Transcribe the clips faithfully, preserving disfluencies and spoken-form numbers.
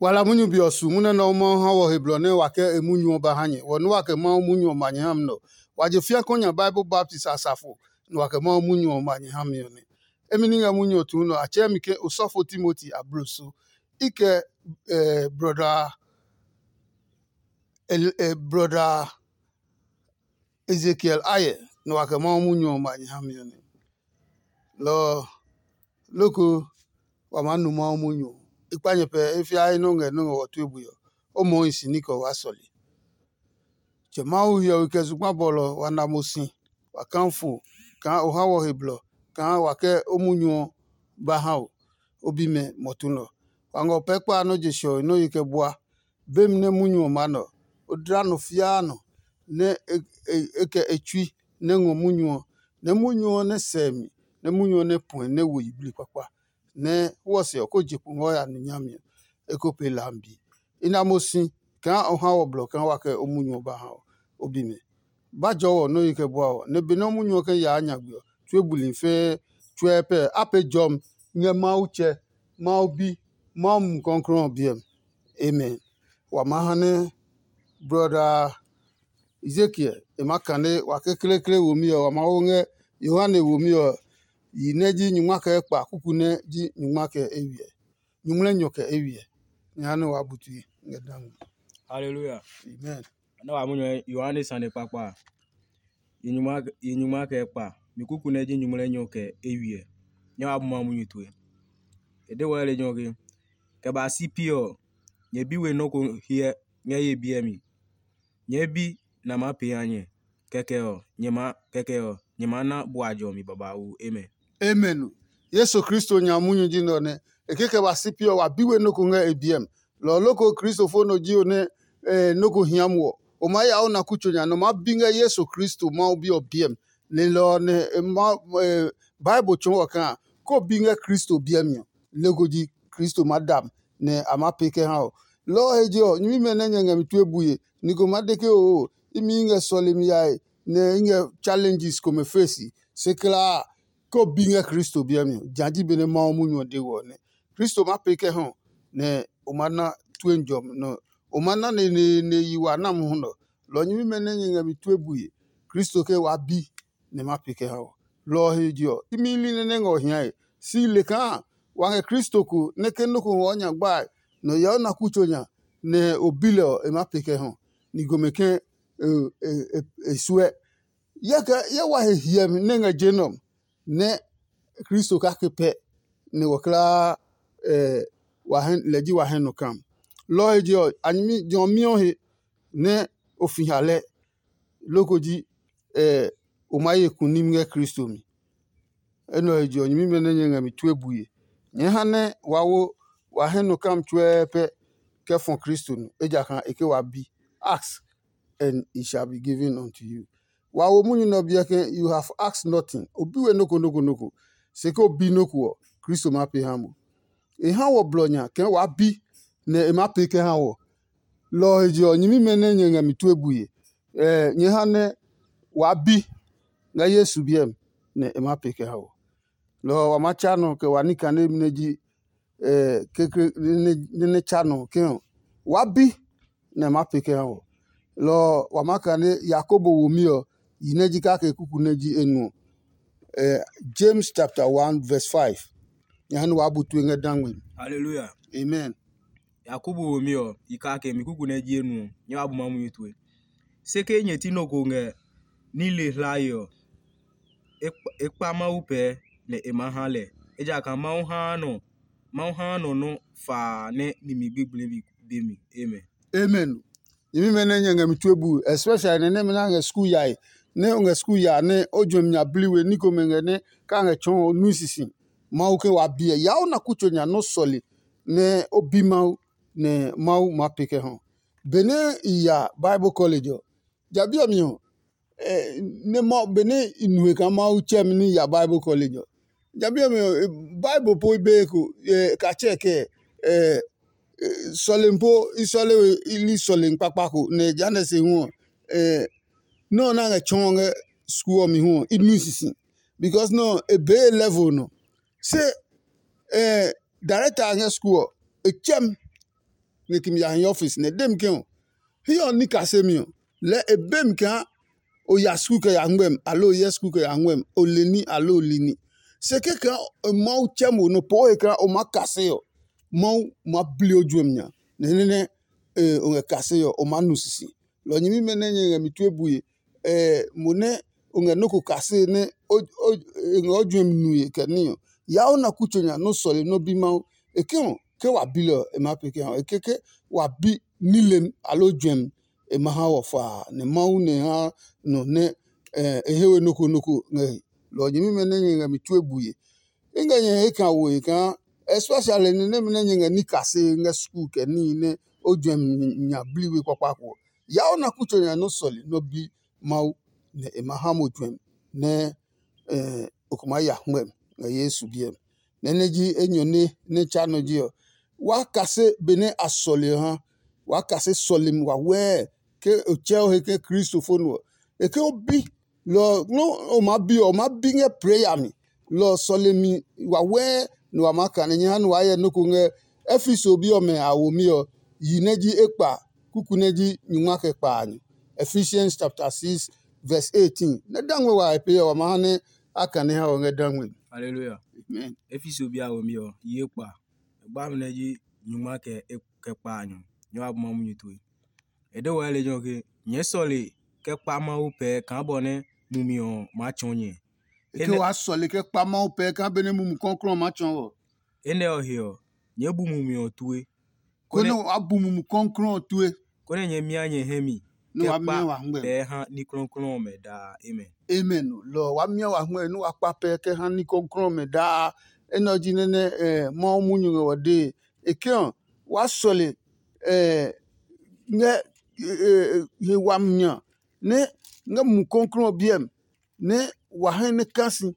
Wa la munyu be ɔ su munyu nɛ Mawu Mawu ha wɔ he blɔ nɛ wa kɛ e munyu ɔ ba ha nyɛ. Wɔ nɛ wa kɛ Mawu munyu ɔ ma nyɛ ha mi nɛ ɔ, wa je fĩa kɔ nya Bible baptist asafo, nɛ wa kɛ Mawu munyu ɔ ma nyɛ ha mi ɔ nɛ. Emi ní ngɛ munyu ɔ tuu nɛ ɔ, a tsɛɛ mi ke osɔfo Timoti abloso. I kɛ eh, brɔda El- eh, brɔda Ezekiel ayɛ, nɛ wa kɛ Mawu munyu ɔ ma nyɛ ha mi ɔ nɛ. Lɔ ɔ, loko wa maa nu Mawu munyu ɔ. I kpa nyɛ pɛ e fiae nɔ́ ngɛ nɔ́ ngɛ wɔ tue bui ɔ, o moo hi si ní kɛ o waa sɔle. Tsɛ Mawu hiɔwe kɛ zugba bɔlɔ ɔ, wa na mo si, wa kaa fo kaa o ha wɔ he blɔ kaa wa kɛ o munyu ɔ ba ha o, o bimɛ mɔtu nɛ ɔ. Wa ngɔ pɛɛ kpa a nɔ́ je shɔe nɔ́ ye kɛ bua. Bemi nɛ munyu ɔ maa nɔ, o dla nɔ fiaa nɔ nɛ e kɛ e tsui nɛ ngɔ munyu ɔ, nɛ munyu ɔ nɛ sɛ mi, nɛ munyu ɔ nɛ puɛ nɛ wo yiblii kpakpa, nɛ hwɔse ɔ ko je kpo ngɔ ya nu nyami ɔ, e ko pe lambi. I na mo si kaa o ha wɔ blɔ kaa wa kɛ o munyu ɔ ba ha ɔ, o bi mɛ. Ba jɔɔ wɔ nɔ́ yi kɛ bua ɔ, nɛ benɛ o munyu ɔ kɛ yaa nyagbe ɔ, tue buli fɛɛ tsuɛ pɛ a pee jɔmi ngɛ Mawu Tsɛ, Mawu Bi, Mawu Mumi Klɔuklɔu ɔ biɛ mi. Amen. Wa maa ha nɛ brɔda Ezekiel e maa kane wa kekleekle womi ɔ, wa maa wo ngɛ Yohane womi ɔ yi nɛ ji nyingma kɛ ekpa kuku nɛ ji nyingma kɛ eywiɛ. Nyuŋmlɛnyɔ kɛ eywiɛ. Nyɛ ha nɛ waa bu tue ngɛ da ngmi. Haleluya. Amen. Nɛ wa munyu Yohane sane kpakpa a, yi nyuma yi nyuma kɛ kpa mi kuku nɛ ji nyumu lɛ nyɔ kɛ eywiɛ. Nyɛ wa bu ma munyu tue. E de wɔ lejɛ ɔ ke, kɛ ba si pi ɔ, nyɛ bi we nɔ́ ko hyɛ ngɛ ye biɛ mi. Nyɛɛ bi nɛ a maa pee ha nyɛ. Kɛkɛ ɔ, nyɛ maa kɛkɛ ɔ, nyɛ maa na bua jɔmi babauu. Amen. Amen. Yesu Kristo nya munyu ji nɛ ɔ nɛ e kɛ kɛ ba si pi ɔ wa bi we nɔ́ ko ngɛ e biɛ mi. Lɔ ɔ loko Kristofo nɔ ji o nɛ nɔ́ ko hia mo ɔ, o maa ya o na kutso nya nɛ o maa bi ngɛ Yesu Kristo Mawu Bi ɔ biɛ mi. Lelɔ ɔ nɛ e ma Bible tsɔɔ wɔ kaa ko bi ngɛ Kristo biɛ mi ɔ, leko ji Kristo maa da mi nɛ a maa pee kɛ ha ɔ. Lɔ ɔ he je ɔ, nyɛmimɛ nɛ nyɛ ngɛ mi tue bue, ni ko maa de ke oo, imi ngɛ sɔlemi yae nɛ i ngɛ challenges komɛ face, se klaa ko bi ngɛ Kristo biɛ mi ɔ, ja ji benɛ Mawu munyu ɔ de wɔ ɔ nɛ. Kristo maa pee kɛ ha ɔ, nɛ o ma na tue jɔmi nɔ o ma na neneene yi wa na mohu nɔ. Lɔ ɔ nyɛmimɛ nɛ nyɛ ngɛ mi tue bue, Kristo ke waa bi nɛ ma pee kɛ ha ɔ. Lɔ ɔ he je ɔ, imi li nɛ nɛ ngɛ ɔ hiae. Si le kaa wa ngɛ Kristo ko nɛ ke nɔ́ ko ngɔ nya gbae nɛ o hyɛ o na kutso nya nɛ o bi lɛ ɔ, e maa pee kɛ ha ɔ. Ni komɛ ke e suɛ. Yɛkɛ ye wa he hiɛmi nɛ ngɛ je nɛ ɔ, nɛ Kristo kake pɛ nɛ wɔ kulaa lɛ ji wa hɛ nɔ kam. Lɔ ɔ he je ɔ, a nyɛmi jɔ ɔ miɔ he nɛ o fi ha lɛ, loko ji o maa ye kunim ngɛ Kristo mi. Enɛ ɔ he je ɔ, nyɛmimɛ nɛ nyɛ ngɛ mi tue bue. Nyɛɛ ha nɛ wa wo wa hɛ nɔ kam tsuɛɛ pɛ kɛ fɔ Kristo nɔ, ejakaa e ke wa bi. Ask, and it shall be given unto you. Wa wo munyu nɛ ɔ biɛ ke you have asked nothing. O bi we noko noko noko. Se ke o bi noko ɔ, Kristo maa pee ha mo. E ha wɔ blɔ nya kaa waa bi nɛ e maa pee kɛ ha wɔ. Lɔ ɔ he je ɔ, nyɛmimɛ nɛ nyɛ ngɛ mi tue bue, nyɛ ha nɛ waa bi ngɛ Yesu biɛ mi nɛ e maa pee kɛ ha wɔ. Lɔ ɔ wa maa tsa nɔ kɛ wa ní kanemi nɛ ji kekle nɛ tsa nɔ ke ɔ, waa bi nɛ e maa pee kɛ ha wɔ. Lɔ ɔ wa maa kane Yakobo womi ɔ yi nɛ ji kake kuku nɛ ji enuɔ. James chapter one verse five. Nyɛ ha nɛ waa bu tue ngɛ dangme mi. Hallelujah. Amen. Yakobo womi ɔ yi kake mi kuku nɛ ji enuɔ, nyɛ wa bu ma munyu tue. Se ke nyɛ ti nɔ ko ngɛ nile hlae ɔ, e kpa Mawu pɛɛ nɛ e maa ha lɛ, ejakaa Mawu haa nɔ Mawu haa nɔ nɔ́ faa nɛ nimi gbigblɛmi be mi. Amen. Amen. Nyɛmimɛ nɛ nyɛ ngɛ mi tue bu, especially nɛ nɛmɛ nɛ a ngɛ skul yae, nɛ o ngɛ skul ya nɛ o juɛmi nya bli we ní komɛ ngɛ nɛ ka ngɛ tsɔɔ o nui sisi. Mawu ke wa biɛ ya o na kutso nya nɔ́ sɔle nɛ o bi Mawu nɛ Mawu maa pee kɛ hɔ. Benɛ i ya Bible college ɔ, ja bi ɔ mi ɔ, nɛ mɔ benɛ i nu he kaa Mawu tsɛ mi ní ya Bible college ɔ, ja bi ɔ mi ɔ, Bible po i be ko ka tsɛ kɛ sɔlemi po i sɔle we i li sɔlemi kpakpa ko nɛ jehanɛ se hu ɔ, nɔ́ ɔ nɛ a ngɛ tsɔɔ ngɛ skul ɔ mi hu ɔ, i nui sisi, because nɔ́ ɔ e bee level nɔ. Se director a ngɛ skul ɔ, e tsɛ mi nɛ kimi ya hi ɔfis nɛ e de mi ke ɔ, hiɛ ɔ ní kasemi ɔ, lɛɛ e be mi kaa o ya skul kɛ ya ngmɛmi, aloo o hyɛ skul kɛ ya ngmɛmi, o le ní aloo o li ní. Se kɛkɛ Mawu tsɛ mo nɔ poo he kaa o maa kase ɔ, Mawu maa bli o juɛmi nya, nɛ nɛ nɛ o ngɛ kase ɔ, o maa nu sisi. Lɔ nyɛmimɛ nɛ nyɛ ngɛ mi tue bue, mo nɛ o ngɛ nɔ́ ko kase nɛ e ngɛ o juɛmi nue kɛ ní ɔ, yaa o na kutso nya nɔ́ sɔle nɔ́ bi Mawu. E ke ɔ, ke wa bi lɛ ɔ, e maa pee kɛ ha o. E ke ke wa bi nilem aloo juɛmi, e ma ha wɔ faa, nɛ Mawu nɛ e ha nɔ nɛ e he we nɔ́ ko nɔ́ ko ngɛ he. Lɔ ɔ nyɛmimɛ nɛ nyɛ ngɛ mi tue bue. I ngɛ nyɛ he kaa woe kaa, especially ni nɛmɛ nɛ nyɛ ngɛ ní kase ngɛ skul kɛ níhi nɛ o juɛmi nya bliwe kpakpa ko ɔ, yaa o na kutso nya nɔ́ sɔle nɔ́ bi Mawu, nɛ e ma ha mo juɛmi nɛ o ko maa ya hwɛmi ngɛ Yesu biɛ mi. Nɛ nɛ ji enyɔne nɛ tsa nɔ ji ɔ, waa kase benɛ a sɔle ɔ ha. Waa kase sɔlemi wawɛɛ ke o tsɛ o he ke Kristo fo nɔ ɔ. E ke o bi lɔ ɔ nɔ́ o maa bi ɔ, o maa bi ngɛ prɛya mi. Lɔ ɔ sɔlemi wawɛɛ nɛ wa maa kane nyɛ ha nɛ waa hyɛ nɔ́ ko ngɛ Efeso bi ɔmɛ a womi ɔ, yi nɛ ji ekpa, kuku nɛ ji nyungma kɛ kpaanyɔ. Ephesians chapter six verse eighteen. Nɛ dangme wa e pee ɔ, wa ma ha nɛ a kane ha ɔ ngɛ dangme. Hallelujah. Amen. Efeso bi a womi ɔ, yi ekpa. Gba mi nɛ ji nyungma kɛ kɛ kpaanyɔ. Nyɛ wa bu ma munyu tue. E de wɔ lejɛ ɔ ke, nyɛɛ sɔle kɛ kpa Mawu pɛɛ kaa bɔ nɛ mumi ɔ maa tsɔɔ nyɛ. Ke waa sɔle kɛ kpa Mawu pɛɛ kaa benɛ Mumi Klɔuklɔu ɔ maa tsɔɔ wɔ. Enɛ ɔ he ɔ, nyɛɛ bu mumi ɔ tue. Konɛ waa bu Mumi Klɔuklɔu ɔ tue. Konɛ nyɛ mia nyɛ hɛ mi nɛ wa mia wa hɛngmɛ. Pɛɛ ha ní klɔuklɔu ɔmɛ daa. Amen. Amen. Lɔ ɔ, wa mia wa hɛngmɛ nɛ wa kpa pɛ kɛ ha ní klɔuklɔu ɔmɛ daa. Enɛ ɔ ji nɛ nɛ Mawu munyu ngɛ wɔ dee. E ke ɔ, waa sɔle ngɛ he wami nya nɛ ngɛ Mumi Klɔuklɔu ɔ biɛ mi, nɛ wa hɛ nɛ ka si,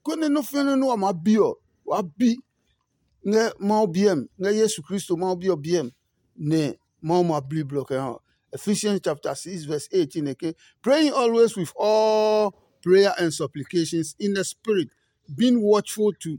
konɛ nɔ́ fianɛ nɛ wa maa bi ɔ, waa bi ngɛ Mawu biɛ mi, ngɛ Yesu Kristo Mawu Bi ɔ biɛ mi, nɛ Mawu ma bli blɔ kɛ ha ɔ. Ephesians chapter six verse eighteen e ke, praying always with all prayer and supplications in the spirit, being watchful to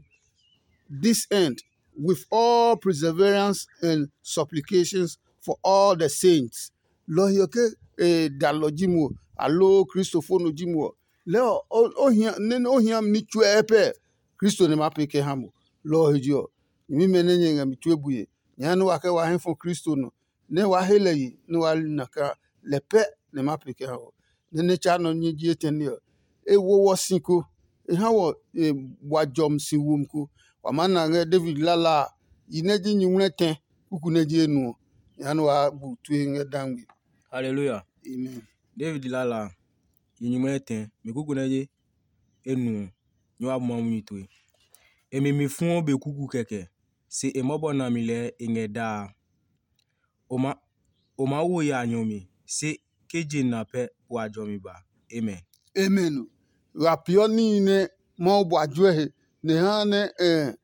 this end with all perseverance and supplications for all the saints. Lɔ ɔ he ɔ ke e dalɔ ji mo, aloo kristofo no ji mo ɔ, lɛɛ ɔ o hia nɛ o hia mi ní tsuɛ pɛ Kristo nɛ ma pee kɛ ha mo. Lɔ ɔ he je ɔ, nyɛmimɛ nɛ nyɛ ngɛ mi tue bue, nyɛɛ nɛ wa kɛ wa hɛ fɔ Kristo nɔ, nɛ wa he lɛ ye nɛ wa na kaa lɛ pɛ nɛ ma pee kɛ ha wɔ. Nɛ nɛ tsa nɔ nɛ ji etɛne ɔ, e wo wɔ si ko, e ha wɔ e bua jɔmi si womi ko. Wa maa na ngɛ David lala a, yi nɛ ji nyuŋmlɛ tɛ kuku nɛ ji enu ɔ. Jehanɛ waa bu tue ngɛ dangbe. Haleluya. Amen. David lala a, yi nyuŋmlɛ tɛ mi kuku nɛ ji enu ɔ, nyɛ wa bu ma munyu tue. E mi mi fuɔ be kuku kɛkɛ, se e mɔbɔ nami lɛɛ e ngɛ daa. O ma o maa wo ya nyɔ mi, se ke je na pɛ wa jɔmi ba. Amen. Amen. Wa peeɔ níhi nɛ Mawu bua juɛ he, nɛ e haa nɛ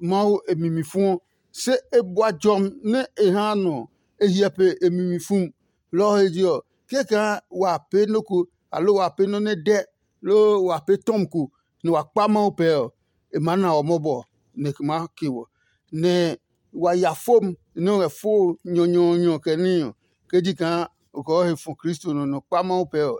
Mawu e mi mi fuɔ. Se e bua jɔmi nɛ e haa nɔ ɔ, e hyɛ pe e mi mi fu. Lɔ ɔ he je ɔ, kɛkaa wa pee nɔ́ ko, aloo wa pee nɔ́ nɛ dɛ, loo wa pee tɔmi ko, nɛ wa kpa Mawu pɛɛ ɔ, e maa na wɔ mɔbɔ, nɛ e maa ke wɔ. Nɛ wa ya fom nɛ o ngɛ fo nyɔnyɔɔnyɔ kɛ níhi ɔ, ke ji kaa o kɛ o he fɔ Kristo nɔ nɔ kpa Mawu pɛɛ ɔ,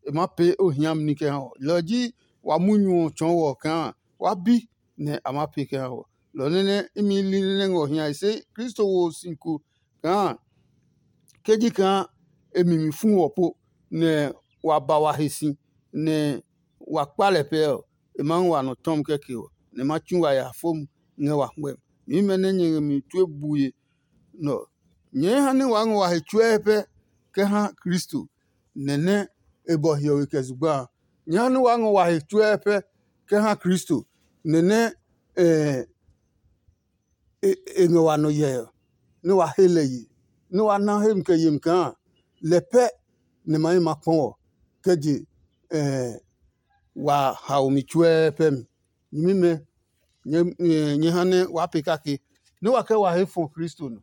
e maa pee o hiami ní kɛ ha wɔ. Lɔ ɔ ji wa munyu ɔ tsɔɔ wɔ kaa wa bi nɛ a maa pee kɛ ha wɔ. Lɔ nɛ nɛ imi li nɛ ngɔ hiae se Kristo wo si ko kaa ke ji kaa e mi mi fu wɔ po, nɛ wa ba wa he si, nɛ wa kpa lɛ pɛɛ ɔ, e maa ngɔ wa nɔ tɔmi kɛkɛ ɔ, nɛ e ma tsu wa ya fom ngɛ wa hwɛmi. Nyɛmimɛ nɛ nyɛ ngɛ mi tue bue nɛ ɔ, nyɛɛ ha nɛ waa ngɔ wa he tsuɛɛ pɛ kɛ ha Kristo, nɛ nɛ e bɔ hiɔwe kɛ zugba a. Nyɛɛ ha nɛ waa ngɔ wa he tsuɛɛ pɛ kɛ ha Kristo, nɛ nɛ e ngɛ wa nɔ hyɛ ɔ, nɛ wa he lɛ ye, nɛ wa na hemi kɛ yemi kaa lɛ pɛ nɛ ma hi ma kpɔ ɔ, kɛ je wa haomi tsuɛɛ pɛ mi. Nyɛmimɛ, nyɛ ha nɛ waa pee kake, nɛ wa kɛ wa he fɔ Kristo nɔ,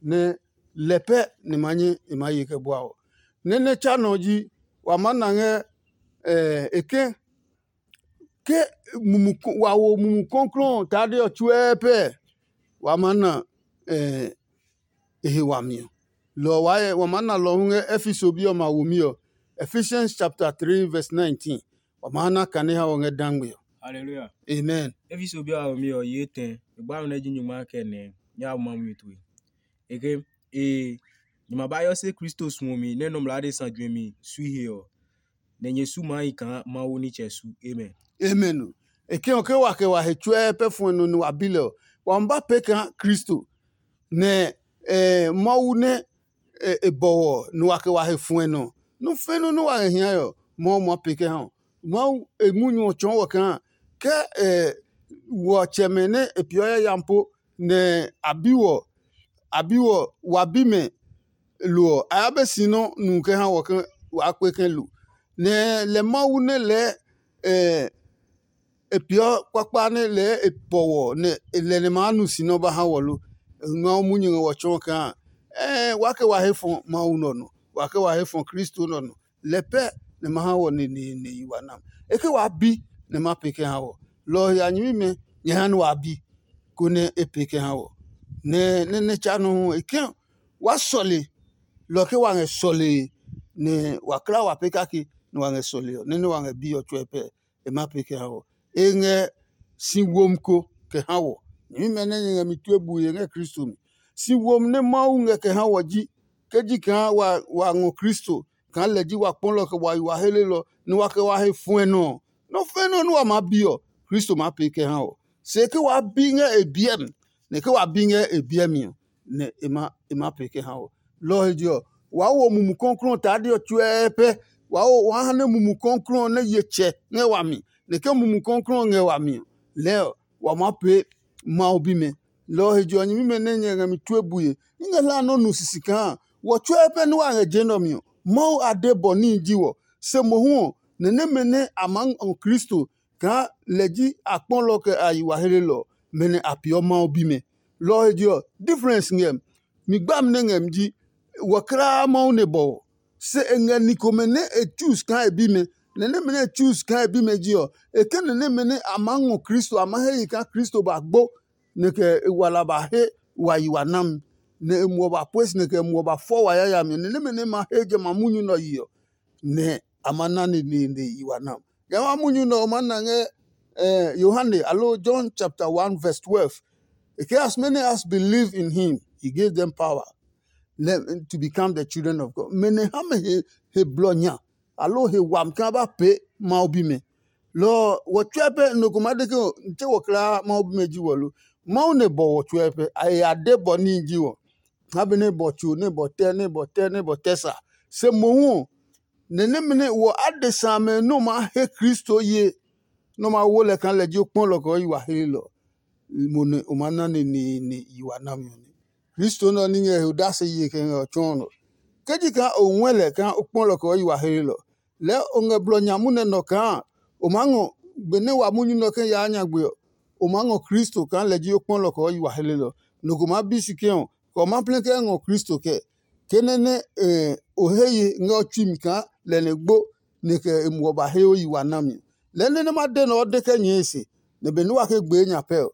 nɛ lɛ pɛ nɛ ma nyɛ e maa ye kɛ bua ɔ. Nɛ nɛ tsa nɔ ɔ ji wa maa na ngɛ e ke ke wa wo Mumi Klɔuklɔu ɔ tade ɔ tsuɛɛ pɛ, wa maa na e he wami ɔ. Lɔ ɔ waa wa maa na lɔ hu ngɛ Efeso bi ɔmɛ a womi ɔ, Ephesians chapter three verse nineteen. Wa maa na kane ha ɔ ngɛ dangbe ɔ. Hallelujah. Amen. Efeso bi a womi ɔ yi etɛ. E gba nɛ ji nyuma kɛ nɛ nya ma mi tue. Eke e nyuma ba yɔ se Kristo suɔmi nɛ nɔmlɔ adesa juɛmi sui he ɔ, nɛ nyɛ su maa hi kaa Mawu nitsɛ su. Amen. Amen o. E ke ɔ ke wa kɛ wa he tsuɛ pɛ fuɛ nɔ nɛ wa bi lɛ ɔ, wa ma ba pee kaa Kristo nɛ Mawu nɛ e bɔwɔ nɛ wa kɛ wa he fuɛ nɔ. Nɔ́ fɛ́ nɔ́ nɛ wa ngɛ hiae ɔ, Mawu maa pee kɛ ha ɔ. Mawu e munyu ɔ tsɔɔ wɔ kaa ke wɔ tsɛmɛ nɛ e peeɔ yayami po nɛ a bi wɔ, a bi wɔ, wa bimɛ lo ɔ, a ya be si nɔ́ nu kɛ ha wɔ ke waa kpe kɛ lo. Nɛ lɛ Mawu nɛ lɛɛ e peeɔ kpakpa nɛ lɛɛ e pɔ wɔ nɛ e lɛ nɛ maa nu si nɛ ɔ ba ha wɔ lo? E ngma o munyu ngɛ wɔ tsɔɔ kaa ɛɛ wa kɛ wa he fɔ Mawu nɔ nɔ, wa kɛ wa he fɔ Kristo nɔ nɔ. Lɛ pɛ nɛ ma ha wɔ neneene yi wa nam. E ke waa bi nɛ ma pee kɛ ha wɔ. Lɔ ɔ he a nyɛmimɛ nyɛ ha nɛ waa bi, konɛ e pee kɛ ha wɔ. Nɛ nɛ nɛ tsa nɔ hu e ke waa sɔle, lɔ ke wa ngɛ sɔlee nɛ wa kla wa pee kake nɛ wa ngɛ sɔlee ɔ, nɛ nɛ wa ngɛ bi ɔ tsuɛ pɛ. E ma pee kɛ ha wɔ. E ngɛ si womi ko kɛ ha wɔ. Nyɛmimɛ nɛ nyɛ ngɛ mi tue bue ngɛ Kristo mi. Si womi nɛ Mawu ngɛ kɛ ha wɔ ji ke ji kaa wa ngɔ Kristo kaa lɛ ji wa kpɔlɔ kɛ wa yi wa helelɔ nɛ wa kɛ wa he fuɛ nɔ ɔ, nɔ́ fɛ́ nɔ́ nɛ wa maa bi ɔ, Kristo maa pee kɛ ha wɔ. Se ke waa bi ngɛ e biɛ mi, nɛ ke wa bi ngɛ e biɛ mi ɔ, nɛ e ma e ma pee kɛ ha wɔ. Lɔ ɔ he je ɔ, waa wo Mumi Klɔuklɔu ɔ tade ɔ tsuɛɛ pɛ. Waa wo waa ha nɛ Mumi Klɔuklɔu ɔ nɛ ye tsɛ ngɛ wami, nɛ ke Mumi Klɔuklɔu ɔ ngɛ wami ɔ, lɛɛ ɔ, wa maa pee Mawu bimɛ. Lɔ ɔ he je ɔ, nyɛmimɛ nɛ nyɛ ngɛ mi tue bue, i ngɛ hlaa nɔ́ nu sisi kaa wɔ tsuɛɛ pɛ nɛ wa ngɛ je nɛ ɔ mi ɔ, Mawu ade bɔ níhi ji wɔ. Se mohu ɔ, nɛ nɛmɛ nɛ a maa ngɔ Kristo kaa lɛ ji a kpɔlɔ kɛ a yi wa helelɔ ɔ, mɛ nɛ a peeɔ Mawu bimɛ. Lɔ ɔ he je ɔ, difference ngɛ mi. Mi gbami nɛ ngɛ mi ji wɔ kulaa Mawu nɛ bɔ ɔ. Se e ngɛ ni komɛ nɛ e choose kaa e bimɛ. Nɛ nɛmɛ nɛ e choose kaa e bimɛ ji ɔ, e kɛ nɛ nɛmɛ nɛ a maa ngɔ Kristo, a maa he yi kaa Kristo ba gbo, nɛ kɛ e wala ba he wa yi wa nami, nɛ e muɔ ba pue si, nɛ kɛ e muɔ ba fɔ wa yayami, nɛ nɛmɛ nɛ ma he jamɛ a munyu nɛ ɔ yi ɔ, nɛ a ma na neneene yi wa nam. Jamɛ a munyu nɛ ɔ ma na ngɛ eh, Yohane alo John chapter one verse twelve. E ke, as many as believe in him, he gave them power to become the children of God. Mɛ nɛ ha mɛ he, he blɔ nya, alo he wami kaa ba pee Mawu bimɛ. Lɔ ɔ, wɔ tsuɛ pɛ nɔ ko ma de ke n tse wɔ kulaa Mawu bimɛ ji wɔ lo. Mawu nɛ bɔ wɔ tsuɛ pɛ, a he ya de bɔ níhi ji wɔ. Ha be nɛ bɔ tso, nɛ bɔ tɛ, nɛ bɔ tɛ, nɛ bɔ tɛ sa. Se mohu ɔ, nɛ nɛmɛ nɛ wɔ adesa amɛ nɛ o maa he Kristo ye, nɛ o maa wo lɛ kaa lɛ ji o kpɔlɔ kɛ o yi wa hlelɔ, mo nɛ o maa na neneene yi wa nami ɔ nɛ. Kristo nɛ ɔ ní ngɛ he odase ye kɛ ngɛ ɔ tsɔɔ nɔ. Ke ji kaa o ngɔɛ lɛ kaa o kpɔlɔ kɛ o yi wa hlelɔ, lɛɛ o ngɛ blɔ nya munɛ nɔ kaa o maa ngɔ benɛ wa munyu nɛ ɔ kɛ yaa nyagbe ɔ, o maa ngɔ Kristo kaa lɛ ji o kpɔlɔ kɛ o yi wa hlelɔ. Nɔ ko maa bi si ke ɔ, kɛ o ma plɛ kɛ ngɔ Kristo kɛ, ke nɛ nɛ o he ye ngɛ o tsui mi kaa lɛ nɛ gbo nɛ kɛ e muɔ ba he o yi wa nami. Lɛɛ nɛ nɛ ma de nɛ ɔ de kɛ nyɛɛ se, nɛ benɛ wa ke gbee nya pɛ ɔ,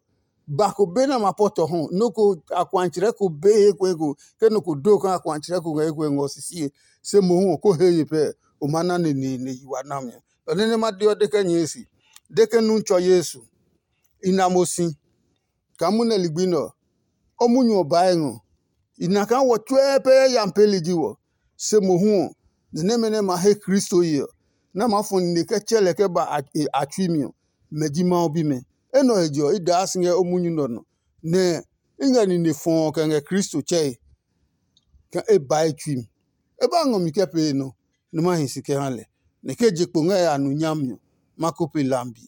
ba ko be nɛ ma pɔtɔ hɔ, nɔ́ ko akuatsrɛ ko be he ko eko, ke nɔ ko do kaa akuatsrɛ ko ngɛ eko ngɔ sisie, se mohu ɔ ko he ye pɛ, o ma na neneene yi wa nami. Lɔ nɛ nɛ ma de ɔ de kɛ nyɛɛ se, de ke nu tsɔ Yesu, i na mo si. Kaa munɛ ligbi nɛ ɔ, o munyu ɔ baa e ngɔ. I na kaa wɔ tsuɛ pɛ yayami peeli ji wɔ, se mohu ɔ, ni nɛmɛ nɛ ma he Kristo ye ɔ, nɛ a maa fɔ nine kɛ tsɛ lɛ kɛ ba a tsui mi ɔ, mɛ ji Mawu bimɛ. Enɛ ɔ he je ɔ, i daa si ngɛ o munyu nɛ ɔ nɔ, nɛ i ngɛ nine fɔɔ kɛ ngɛ Kristo tsɛe, kaa e ba e tsui mi. E ba ngɔ mi kɛ pee nɔ, nɛ ma hi si kɛ ha lɛ, nɛ ke je kpo ngɛ ya nu nyami ɔ, ma ko pe lambi.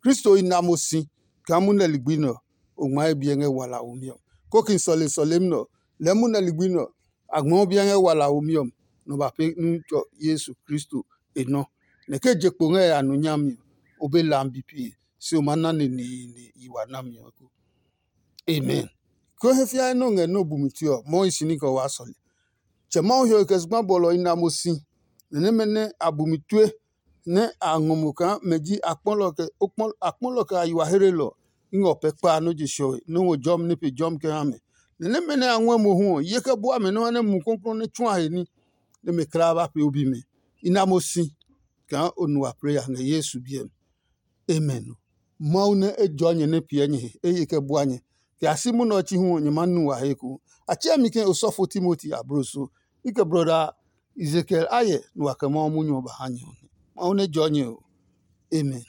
Kristo i na mo si kaa munɛ ligbi nɛ ɔ, o ngmaa e biɛ ngɛ wala womi ɔ. Kóki sɔle sɔlemi nɛ ɔ, lɛɛ munɛ ligbi nɛ ɔ, a ngmɛɔ biɛ ngɛ wala womi ɔ, nɔ ba pee Nutsɔ Yesu Kristo e nɔ. Nɛ ke je kpo ngɛ ya nu nyami ɔ, o be lambi pee, se o maa na neneene yi wa nami ɔ ko. Amen. Ko he fia nɛ o ngɛ nɛ o bumi tue ɔ, Mawu hi si ní kɛ o waa sɔle. Tsɛ Mawu hiɔwe kɛ zugba bɔlɔ i na mo si, nɛ nɛmɛ nɛ a bumi tue nɛ a ngɔ mo kaa mɛ ji akpɔlɔ kɛ akpɔlɔ kɛ a yi wa hlelɔ. I ngɛ o pɛ kpa nɔ́ je sɛɔe nɔ́ ngɔ jɔmi nɛ pe jɔmi kɛ ha mɛ. Nɛ nɛmɛ nɛ a ngɔɛ mohu ɔ, ye kɛ bua mɛ nɔ́ ha nɛ Mumi Klɔuklɔu nɛ tsu a he ní, nɛ mɛ kla ba pee o bimɛ. I na mo si kaa o nu wa plɛ ya ngɛ Yesu biɛ mi. Amen. Mawu nɛ e jɔɔ nyɛ nɛ piɛ nyɛ he, e ye kɛ bua nyɛ. Kɛ a si munɛ ɔ chi hu ɔ, nyɛ maa nu wa he eko. A tsɛɛ mi ke osɔfo Timoti abloso. I kɛ broda Ezekiel a hyɛ nɛ wa kɛ Mawu munyu ɔ ba ha nyɛ ɔ nɛ. Mawu nɛ jɔɔ nyɛ o. Amen.